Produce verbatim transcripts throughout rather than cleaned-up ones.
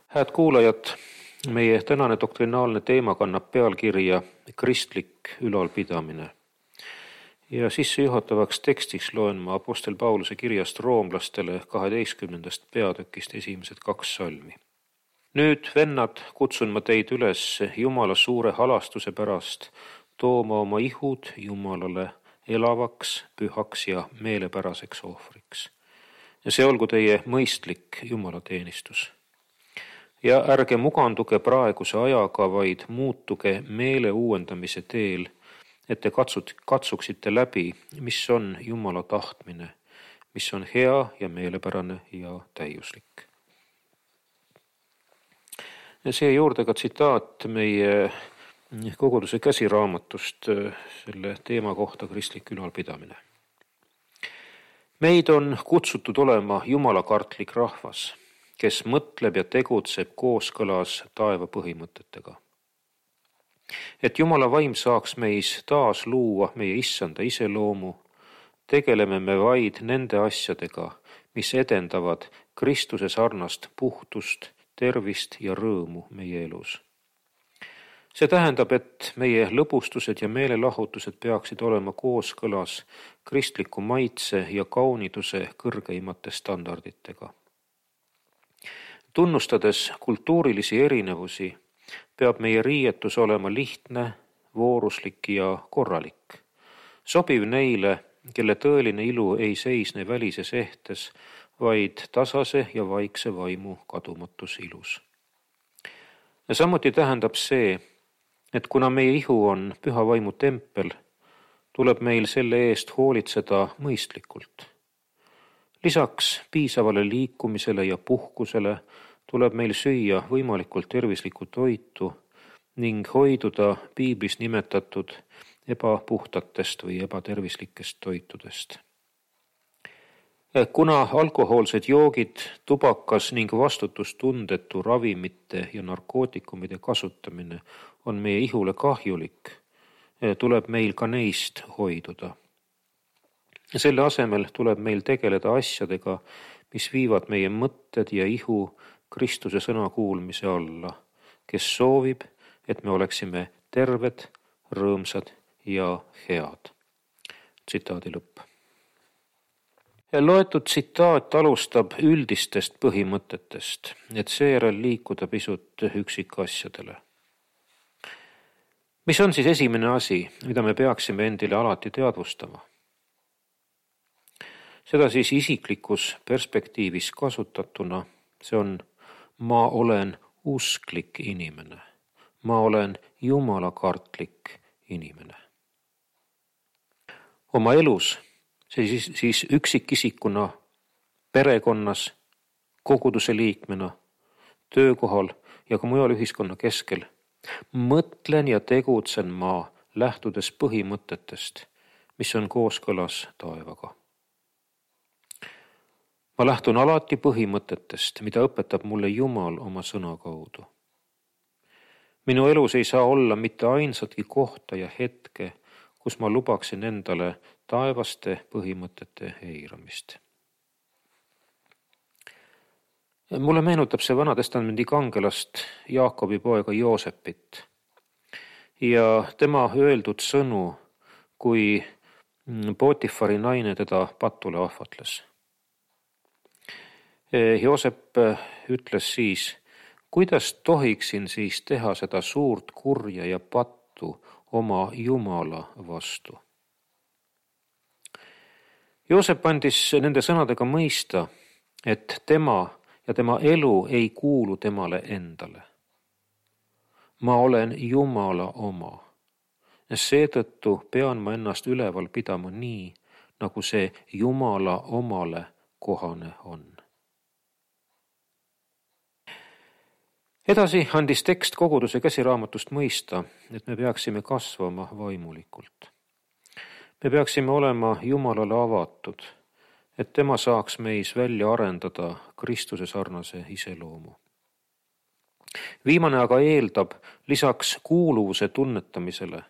Hääd kuulajad, meie tänane doktrinaalne teema kannab pealkirja kristlik ülalpidamine. Ja sissejuhatavaks tekstiks loen ma apostel Pauluse kirjast roomlastele kaheteistkümnendast peatükist esimesed kaks salmi. Nüüd, vennad, kutsun ma teid üles Jumala suure halastuse pärast tooma oma ihud Jumalale elavaks, pühaks ja meelepäraseks ohvriks. Ja see olgu teie mõistlik jumalateenistus. Ja ärge muganduge praeguse ajaga, vaid muutuge meele uuendamise teel, et te katsut, katsuksite läbi, mis on Jumala tahtmine, mis on hea ja meelepärane ja täiuslik. Ja see juurde ka tsitaat meie koguduse käsiraamatust selle teema kohta kristlik ülalpidamine. Meid on kutsutud olema jumalakartlik rahvas, kes mõtleb ja tegutseb kooskõlas taeva põhimõtetega. Et Jumala vaim saaks meis taas luua meie issanda iseloomu, tegeleme me vaid nende asjadega, mis edendavad Kristuse sarnast puhtust, tervist ja rõõmu meie elus. See tähendab, et meie lõbustused ja meelelahutused peaksid olema kooskõlas kristliku maitse ja kauniduse kõrgeimate standarditega. Tunnustades kultuurilisi erinevusi, peab meie riietus olema lihtne, vooruslik ja korralik, sobiv neile, kelle tõeline ilu ei seisne välises ehtes, vaid tasase ja vaikse vaimu kadumatus ilus. Ja samuti tähendab see, et kuna meie ihu on püha vaimu tempel, tuleb meil selle eest hoolitseda mõistlikult. Lisaks piisavale liikumisele ja puhkusele tuleb meil süüa võimalikult tervislikku toitu ning hoiduda piiblis nimetatud ebapuhtatest või ebatervislikest toitudest. Kuna alkohoolsed joogid, tubakas ning vastutustundetu ravimite ja narkootikumide kasutamine on meie ihule kahjulik, tuleb meil ka neist hoiduda. Selle asemel tuleb meil tegeleda asjadega, mis viivad meie mõtted ja ihu Kristuse sõna kuulmise alla, kes soovib, et me oleksime terved, rõõmsad ja head. Tsitaadi lõpp. Loetud tsitaat alustab üldistest põhimõtetest, et seejärel liikuda pisut üksikasjadele. Mis on siis esimene asi, mida me peaksime endile alati teadvustama? Seda siis isiklikus perspektiivis kasutatuna, see on ma olen usklik inimene, ma olen jumalakartlik inimene. Oma elus, see siis, siis üksikisikuna, perekonnas, koguduse liikmena, töökohal ja ka mujal ühiskonna keskel, mõtlen ja tegutsen ma lähtudes põhimõtetest, mis on kooskõlas taevaga. Ma lähtun alati põhimõtetest, mida õpetab mulle Jumal oma sõna kaudu. Minu elus ei saa olla mitte ainsatki kohta ja hetke, kus ma lubaksin endale taevaste põhimõtete eiramist. Mulle meenutab see Vanatestamendi kangelast Jaakobi poega Joosepit ja tema öeldud sõnu, kui Potifari naine teda patule ahvatles. Joosep ütles siis, kuidas tohiksin siis teha seda suurt kurja ja pattu oma Jumala vastu. Joosep andis nende sõnadega mõista, et tema ja tema elu ei kuulu temale endale. Ma olen Jumala oma ja seetõttu pean ma ennast üleval pidama nii, nagu see Jumala omale kohane on. Edasi andis tekst koguduse käsiraamatust mõista, et me peaksime kasvama vaimulikult. Me peaksime olema Jumalale avatud, et tema saaks meis välja arendada Kristuse sarnase iseloomu. Viimane aga eeldab lisaks kuuluvuse tunnetamisele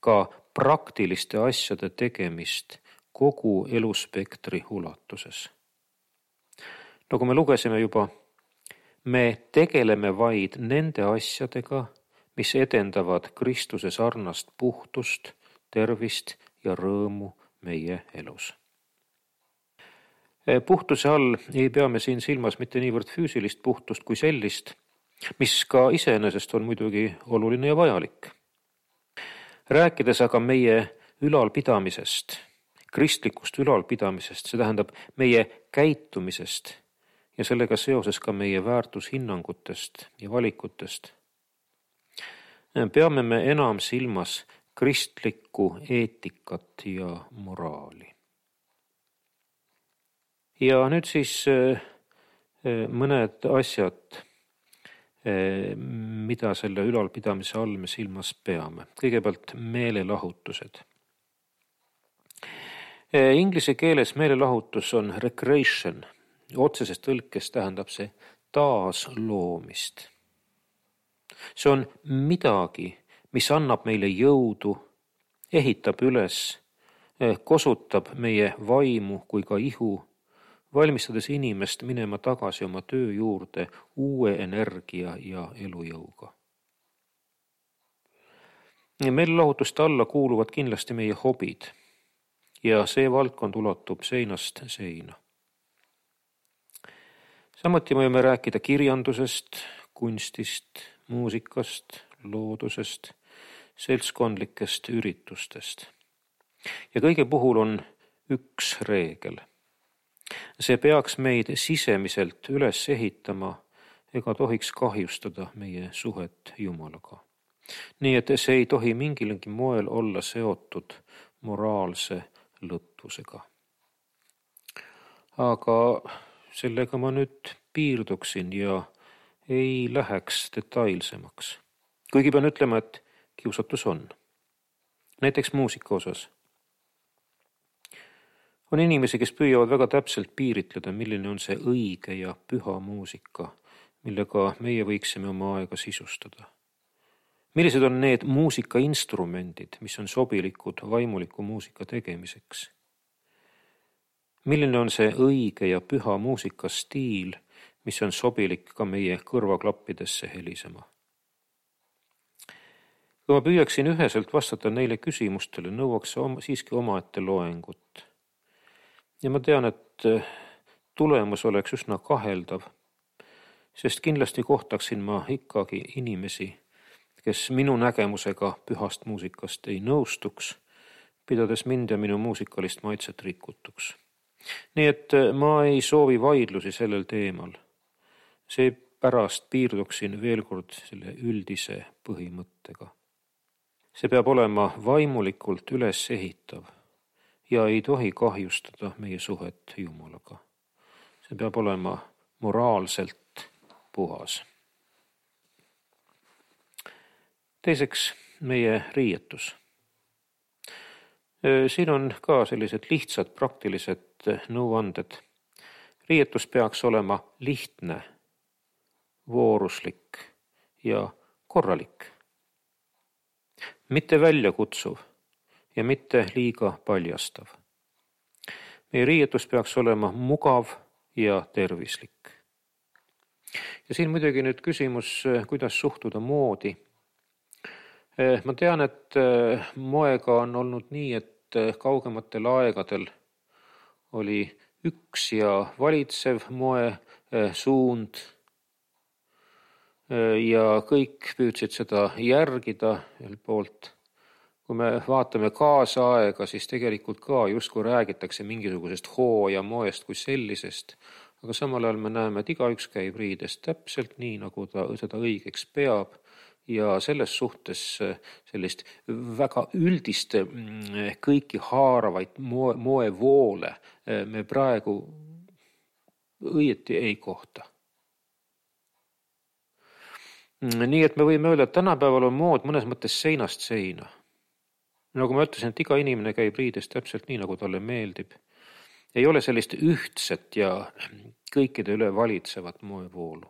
ka praktiliste asjade tegemist kogu eluspektri ulatuses. Nagu me lugesime juba, Me tegeleme vaid nende asjadega, mis edendavad Kristuse sarnast puhtust, tervist ja rõõmu meie elus. Puhtuse all ei pea me siin silmas mitte niivõrd füüsilist puhtust kui sellist, mis ka iseenesest on muidugi oluline ja vajalik. Rääkides aga meie ülalpidamisest, kristlikust ülalpidamisest, see tähendab meie käitumisest ja sellega seoses ka meie väärtushinnangutest ja valikutest, peame me enam silmas kristlikku eetikat ja moraali. Ja nüüd siis mõned asjad, mida selle ülalpidamise all me silmas peame. Kõigepealt meelelahutused. Inglise keeles meelelahutus on recreation. Otseses tõlkes tähendab see taasloomist. See on midagi, mis annab meile jõudu, ehitab üles, kosutab meie vaimu kui ka ihu, valmistades inimest minema tagasi oma töö juurde uue energia ja elujõuga. Meelelahutuste alla kuuluvad kindlasti meie hobid ja see valdkond ulatub seinast seina. Samuti võime rääkida kirjandusest, kunstist, muusikast, loodusest, seltskondlikest üritustest. Ja kõige puhul on üks reegel. See peaks meid sisemiselt üles ehitama ega tohiks kahjustada meie suhet Jumalaga. Nii et see ei tohi mingilgi moel olla seotud moraalse lõtvusega. Aga sellega ma nüüd piirduksin ja ei läheks detailsemaks. Kuigi pean ütlema, et kiusatus on. Näiteks muusika osas. On inimesi, kes püüavad väga täpselt piiritleda, milline on see õige ja püha muusika, millega meie võiksime oma aega sisustada. Millised on need muusikainstrumendid, mis on sobilikud vaimuliku muusika tegemiseks? Milline on see õige ja püha muusikastiil, mis on sobilik ka meie kõrvaklappidesse helisema? Kui ma püüaksin üheselt vastata neile küsimustele, nõuaks siiski omaette loengut. Ja ma tean, et tulemus oleks üsna kaheldav, sest kindlasti kohtaksin ma ikkagi inimesi, kes minu nägemusega pühast muusikast ei nõustuks, pidades mind ja minu muusikalist maitset rikutuks. Nii et ma ei soovi vaidlusi sellel teemal. See pärast piirduksin veel kord selle üldise põhimõttega. See peab olema vaimulikult üles ehitav ja ei tohi kahjustada meie suhet Jumalaga. See peab olema moraalselt puhas. Teiseks, meie riietus. Siin on ka sellised lihtsad praktilised nõuanded. Riietus peaks olema lihtne, vooruslik ja korralik. Mitte väljakutsuv ja mitte liiga paljastav. Meie riietus peaks olema mugav ja tervislik. Ja siin muidugi nüüd küsimus, kuidas suhtuda moodi. Ma tean, et moega on olnud nii, et kaugematel aegadel oli üks ja valitsev moe suund ja kõik püüdsid seda järgida ühelt poolt. Kui me vaatame kaasaega, siis tegelikult ka justkui räägitakse mingisugusest hoo ja moest kui sellisest, aga samal ajal me näeme, et igaüks käib riidest täpselt nii, nagu ta seda õigeks peab ja selles suhtes sellist väga üldist kõiki haaravaid moe, moevoole me praegu õieti ei kohta. Nii et me võime öelda, et tänapäeval on mood mõnes mõttes seinast seina. Nagu ma ütlesin, et iga inimene käib riides täpselt nii, nagu talle meeldib. Ei ole sellist ühtset ja kõikide üle valitsevat moevoolu.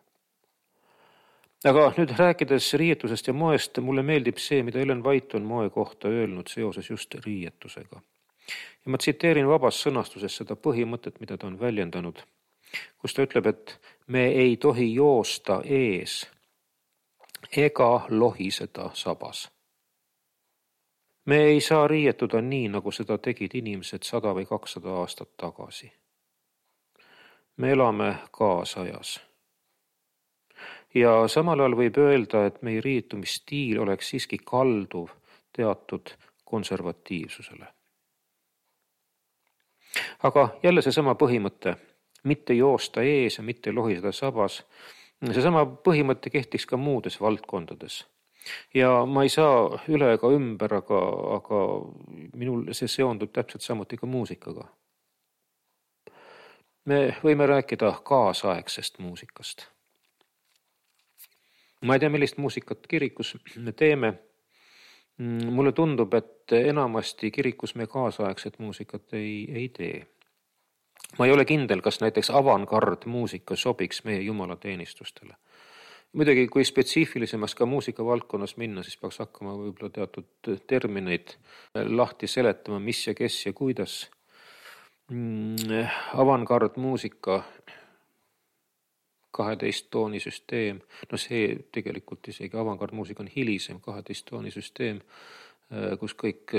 Aga nüüd rääkides riietusest ja moest, mulle meeldib see, mida Ellen White on moe kohta öelnud seoses just riietusega. Ja ma tsiteerin vabas sõnastuses seda põhimõtet, mida ta on väljendanud. kus ta ütleb, et me ei tohi joosta ees ega lohiseda sabas. Me ei saa riietuda nii, nagu seda tegid inimesed sada või kakssada aastat tagasi. Me elame kaasajas. Ja samal ajal võib öelda, et meie riietumisstiil oleks siiski kalduv teatud konservatiivsusele. Aga jälle seesama põhimõte, mitte joosta ees ja mitte lohiseda sabas, seesama põhimõte kehtiks ka muudes valdkondades. Ja ma ei saa üle ega ümber, aga, aga minul see seondub täpselt samuti ka muusikaga. Me võime rääkida kaasaegsest muusikast. Ma ei tea, millist muusikat kirikus me teeme. Mulle tundub, et enamasti kirikus me kaasaegset muusikat ei, ei tee. Ma ei ole kindel, kas näiteks avangard muusika sobiks meie jumalateenistustele. Muidugi, kui spetsiifilisemas ka muusika valdkonnas minna, siis peaks hakkama võib-olla teatud termineid lahti seletama, mis ja kes ja kuidas. Avangard muusika, kaheteist tooni süsteem, no see tegelikult isegi avangard muusika on hilisem kaheteist tooni süsteem, kus kõik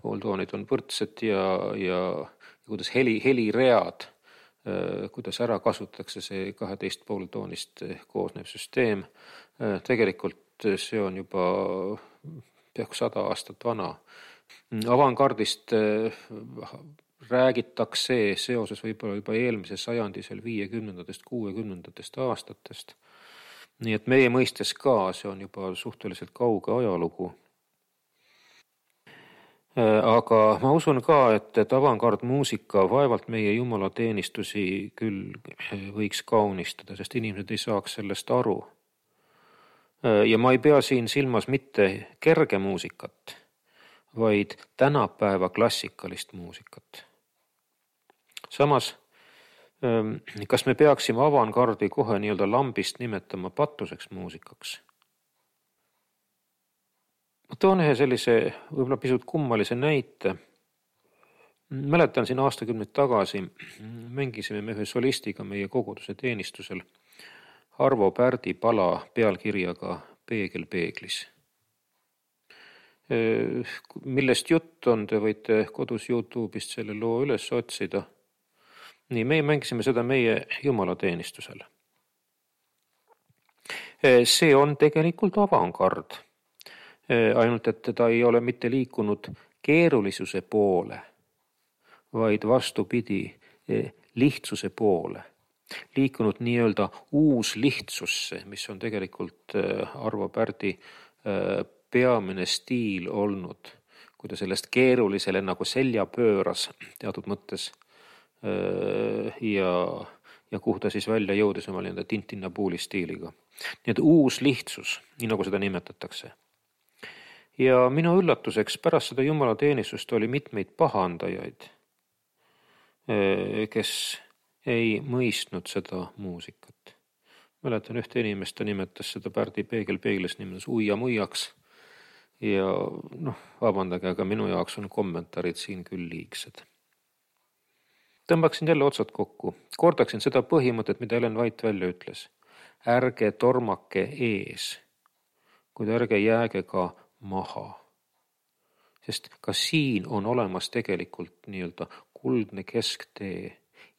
pooltoonid on võrdsed ja, ja, ja kuidas heli, heliread, kuidas ära kasutatakse see kaheteist pooltoonist koosnev süsteem. Tegelikult see on juba peaaegu sada aastat vana. Avangardist räägitakse seoses võib-olla juba eelmise sajandi seal viiekümnendatest, kuuekümnendatest aastatest. Nii et meie mõistes ka see on juba suhteliselt kauge ajalugu. Aga ma usun ka, et, et avangard muusika vaevalt meie jumalateenistusi küll võiks kaunistada, sest inimesed ei saaks sellest aru. Ja ma ei pea siin silmas mitte kerge muusikat, vaid tänapäeva klassikalist muusikat. Samas, kas me peaksime avangardi kohe nii-öelda lambist nimetama patuseks muusikaks? Ma toon ühe sellise võib-olla pisut kummalise näite. Mäletan siin aastakümneid tagasi, mängisime me ühe solistiga meie koguduse teenistusel Arvo Pärdi pala pealkirjaga Peegel peeglis. Millest jutt on, te võite kodus YouTube'ist selle loo üles otsida. Nii, me mängisime seda meie jumalateenistusel. See on tegelikult avangard. Ainult, et ta ei ole mitte liikunud keerulisuse poole, vaid vastupidi lihtsuse poole. Liikunud nii-öelda uus lihtsusse, mis on tegelikult Arvo Pärdi peamine stiil olnud, kui ta sellest keerulisele nagu selja pööras teatud mõttes ja, ja kuhu ta siis välja jõudis oma nii-öelda Tintinnapuuli stiiliga. Nii et uus lihtsus, nii nagu seda nimetatakse. Ja minu üllatuseks pärast seda jumalateenistust oli mitmeid pahandajaid, kes ei mõistnud seda muusikat. Mäletan ühte inimest, ta nimetas seda Pärdi Peegel peeglis nimetas uia muiaks ja noh, vabandage, aga minu jaoks on kommentaarid siin küll liigsed. Tõmbaksin jälle otsad kokku. Kordaksin seda põhimõtet, mida Ellen White välja ütles. Ärge tormake ees, kuid ärge jääge ka maha. Sest ka siin on olemas tegelikult nii-öelda kuldne kesktee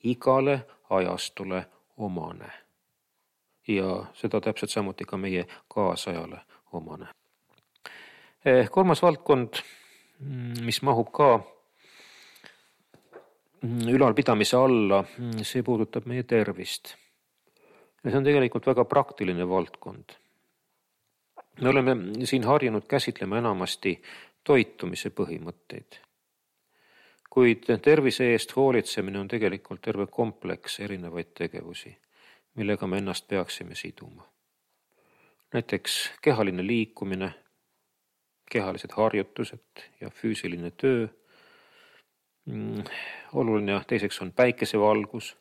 igale ajastule omane. Ja seda täpselt samuti ka meie kaasajale omane. Kolmas valdkond, mis mahub ka ülalpidamise alla, see puudutab meie tervist. Ja see on tegelikult väga praktiline valdkond. Me oleme siin harjunud käsitlema enamasti toitumise põhimõtteid. Kuid tervise eest hoolitsemine on tegelikult terve kompleks erinevaid tegevusi, millega me ennast peaksime siduma. Näiteks kehaline liikumine, kehalised harjutused ja füüsiline töö. Oluline teiseks on päikesevalgus.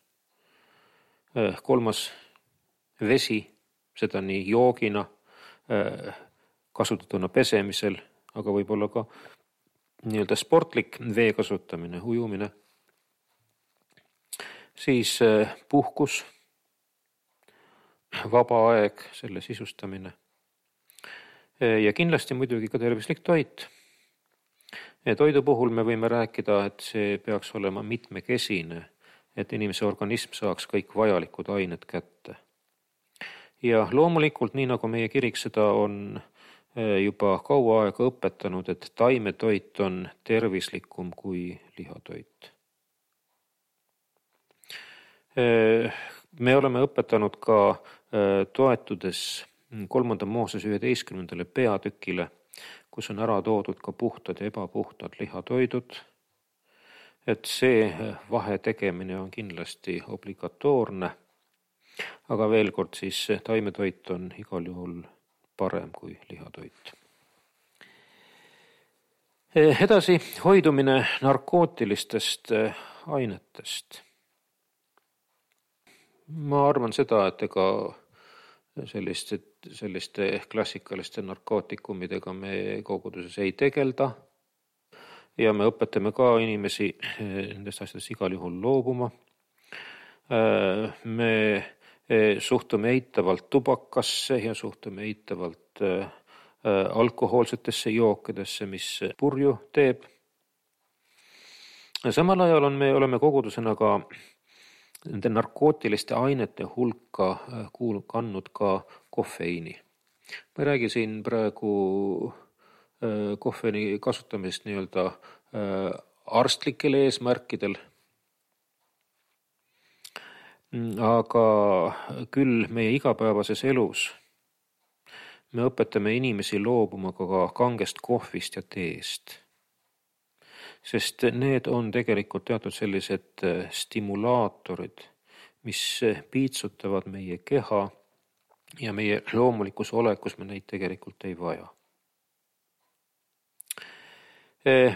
Kolmas vesi, seda nii joogina, kasutatuna pesemisel, aga võib-olla ka nii-öelda sportlik vee kasutamine, ujumine. siis puhkus, vaba aeg, selle sisustamine ja kindlasti muidugi ka tervislik toit. Toidu puhul me võime rääkida, et see peaks olema mitmekesine, et inimese organism saaks kõik vajalikud ained kätte. Ja loomulikult, nii nagu meie kirik seda on juba kaua aega õpetanud, et taimetoit on tervislikum kui lihatoit. Me oleme õpetanud ka toetudes kolmanda Mooses üheteistkümnendale peatükile, kus on ära toodud ka puhtad ja ebapuhtad lihatoidud, et see vahe tegemine on kindlasti obligatoorne, aga veel kord siis taimetoit on igal juhul parem kui lihatoit. Edasi hoidumine narkootilistest ainetest. Ma arvan seda, et ega selliste, selliste klassikaliste narkootikumidega me koguduses ei tegelda ja me õpetame ka inimesi nendest asjadest igal juhul loobuma. Me suhtume eitavalt tubakasse ja suhtume eitavalt alkohoolsetesse jookidesse, mis purju teeb. Samal ajal on me oleme kogudusena ka nende narkootiliste ainete hulka kuul- kannud ka kofeiini. Ma ei räägi siin praegu kofeiini kasutamist nii-öelda arstlikel eesmärkidel, aga küll meie igapäevases elus me õpetame inimesi loobuma ka kangest kohvist ja teest, sest need on tegelikult teatud sellised stimulaatorid, mis piitsutavad meie keha ja meie loomulikus olekus me neid tegelikult ei vaja.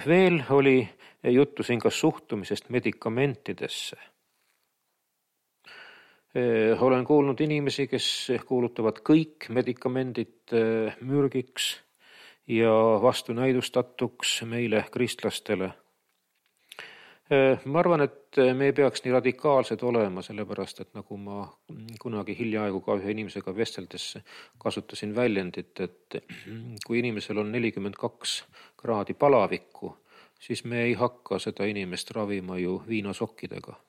Veel oli juttu siin ka suhtumisest medikamentidesse. Olen kuulnud inimesi, kes kuulutavad kõik medikamendid mürgiks ja vastunäidustatuks meile kristlastele. Ma arvan, et me ei peaks nii radikaalsed olema, sellepärast, et nagu ma kunagi hiljaaegu ka ühe inimesega vesteldes kasutasin väljendit, et kui inimesel on nelikümmend kaks kraadi palavikku, siis me ei hakka seda inimest ravima ju viinasokkidega.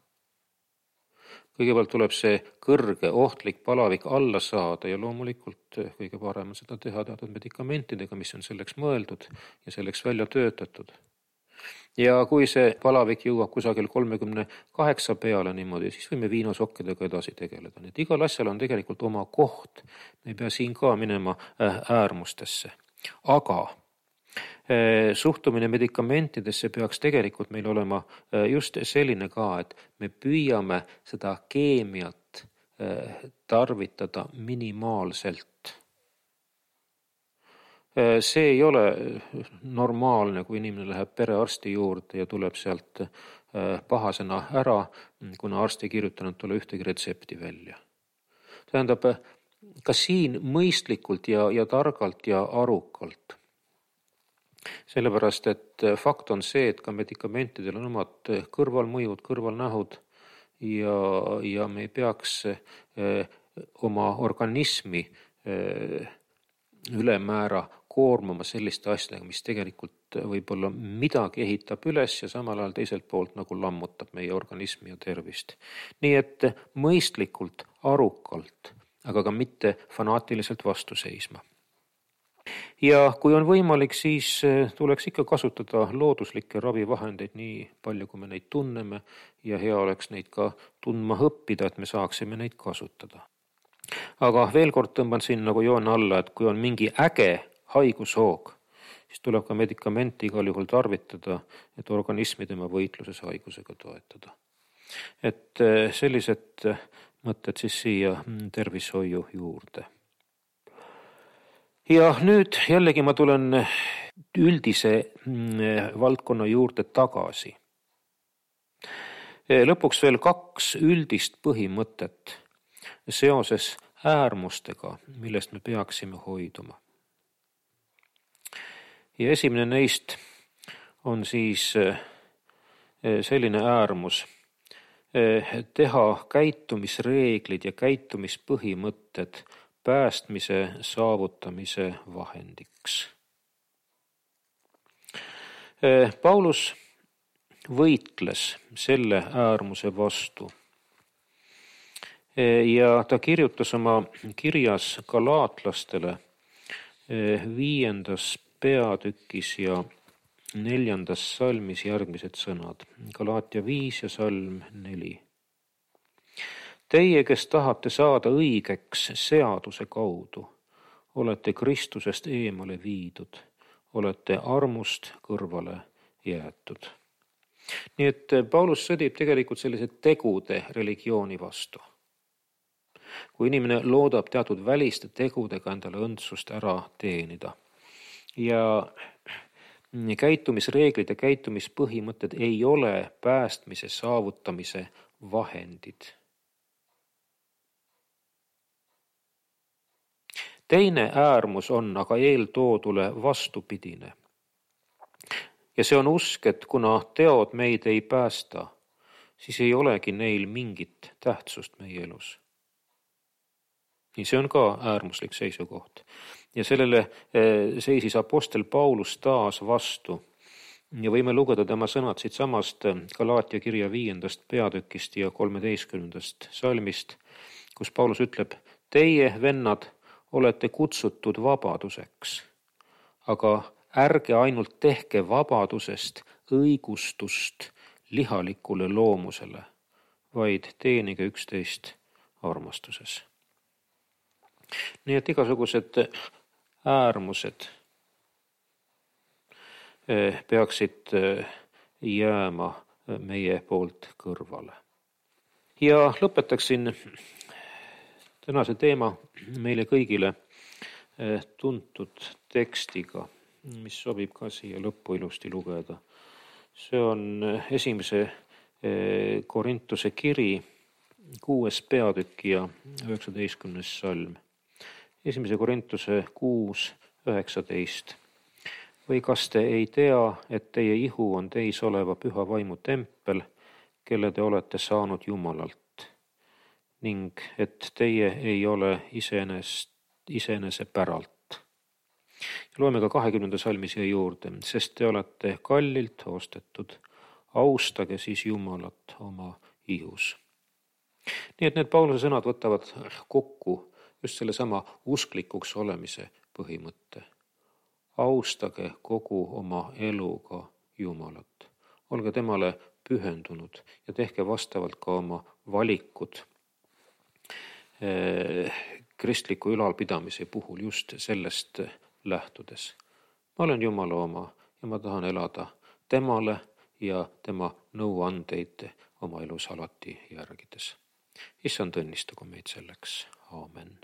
Kõigepealt tuleb see kõrge ohtlik palavik alla saada ja loomulikult kõige parem on seda teha teatud medikamentidega, mis on selleks mõeldud ja selleks välja töötatud. Ja kui see palavik jõuab kusagil kolmekümne kaheksa peale niimoodi, siis võime viinasokkidega edasi tegeleda. Nii et igal asjal on tegelikult oma koht. Me ei pea siin ka minema äärmustesse. Aga suhtumine medikamentidesse peaks tegelikult meil olema just selline ka, et me püüame seda keemiat tarvitada minimaalselt. See ei ole normaalne, kui inimene läheb perearsti juurde ja tuleb sealt pahasena ära, kuna arst ei kirjutanud talle ühtegi retsepti välja. Tähendab, ka siin mõistlikult ja, ja targalt ja arukalt. Sellepärast, et fakt on see, et ka medikamentidel on omad kõrvalmõjud, kõrvalnähud ja, ja me ei peaks oma organismi ülemäära koormama selliste asjadega, mis tegelikult võib-olla midagi ehitab üles ja samal ajal teiselt poolt nagu lammutab meie organismi ja tervist. Nii et mõistlikult, arukalt, aga ka mitte fanaatiliselt vastu seisma. Ja kui on võimalik, siis tuleks ikka kasutada looduslikke ravivahendeid nii palju, kui me neid tunneme ja hea oleks neid ka tundma õppida, et me saaksime neid kasutada. Aga veel kord tõmban siin nagu joon alla, et kui on mingi äge haigushoog, siis tuleb ka medikamenti igal juhul tarvitada, et organismi tema võitluses haigusega toetada. Et sellised mõtted siis siia tervishoiu juurde. Ja nüüd jällegi ma tulen üldise valdkonna juurde tagasi. Lõpuks veel kaks üldist põhimõtet seoses äärmustega, millest me peaksime hoiduma. Ja esimene neist on siis selline äärmus, teha käitumisreeglid ja käitumispõhimõtted päästmise saavutamise vahendiks. Paulus võitles selle äärmuse vastu ja ta kirjutas oma kirjas galaatlastele viiendas peatükis ja neljandas salmis järgmised sõnad. Galaatia viis ja salm neli. Teie, kes tahate saada õigeks seaduse kaudu, olete Kristusest eemale viidud, olete armust kõrvale jäetud. Nii et Paulus sõdib tegelikult sellise tegude religiooni vastu. Kui inimene loodab teatud väliste tegudega endale õndsust ära teenida ja käitumisreeglid ja käitumispõhimõtted ei ole päästmise saavutamise vahendid. Teine äärmus on aga eeltoodule vastupidine. Ja see on usk, et kuna teod meid ei päästa, siis ei olegi neil mingit tähtsust meie elus. Ja see on ka äärmuslik seisukoht. Ja sellele seisis apostel Paulus taas vastu. Ja võime lugeda tema sõnad siit samast Galaatia kirja viiendast peatükist ja kolmeteistkümnendast salmist, kus Paulus ütleb, teie, vennad, olete kutsutud vabaduseks, aga ärge ainult tehke vabadusest õigustust lihalikule loomusele, vaid teenige üksteist armastuses. Nii et igasugused äärmused peaksid jääma meie poolt kõrvale. Ja lõpetaksin tänase teema meile kõigile tuntud tekstiga, mis sobib ka siia lõppu ilusti lugeda. See on esimese Korintuse kiri, kuues peatükk ja üheksateistkümnes salm. Esimese Korintuse kuus, üheksateist. Või kas te ei tea, et teie ihu on teis oleva püha vaimu tempel, kelle te olete saanud Jumalalt, ning et teie ei ole iseenest, iseenese päralt. Ja loeme ka kahekümnenda salmi siia juurde, sest te olete kallilt ostetud, austage siis Jumalat oma ihus. Nii et need Pauluse sõnad võtavad kokku just selle sama usklikuks olemise põhimõtte. Austage kogu oma eluga Jumalat. Olge temale pühendunud ja tehke vastavalt ka oma valikud kristliku ülalpidamise puhul just sellest lähtudes. Ma olen Jumala oma ja ma tahan elada temale ja tema nõuandeid oma elus alati järgides. Issand õnnistagu meid selleks. Aamen.